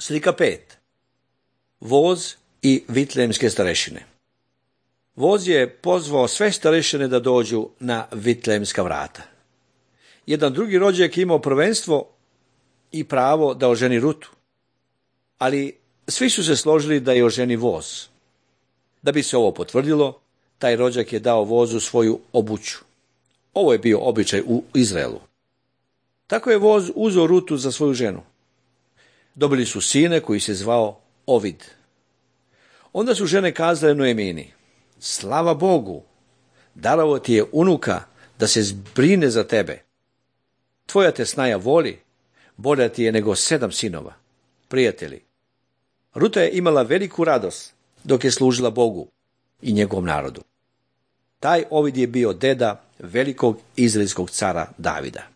Slika 5. Voz i vitlejemske starešine. Voz je pozvao sve starešine da dođu na vitlejemska vrata. Jedan drugi rođak je imao prvenstvo i pravo da oženi Rutu, ali svi su se složili da je oženi voz. Da bi se ovo potvrdilo, taj rođak je dao vozu svoju obuću. Ovo je bio običaj u Izraelu. Tako je voz uzeo Rutu za svoju ženu. Dobili su sine koji se zvao Ovid. Onda su žene kazale Noemini: slava Bogu, darovo ti je unuka da se zbrine za tebe. Tvoja te snaja voli, bolja ti je nego 7 sinova. Prijatelji, Ruta je imala veliku radost dok je služila Bogu i njegovom narodu. Taj Ovid je bio deda velikog izraelskog cara Davida.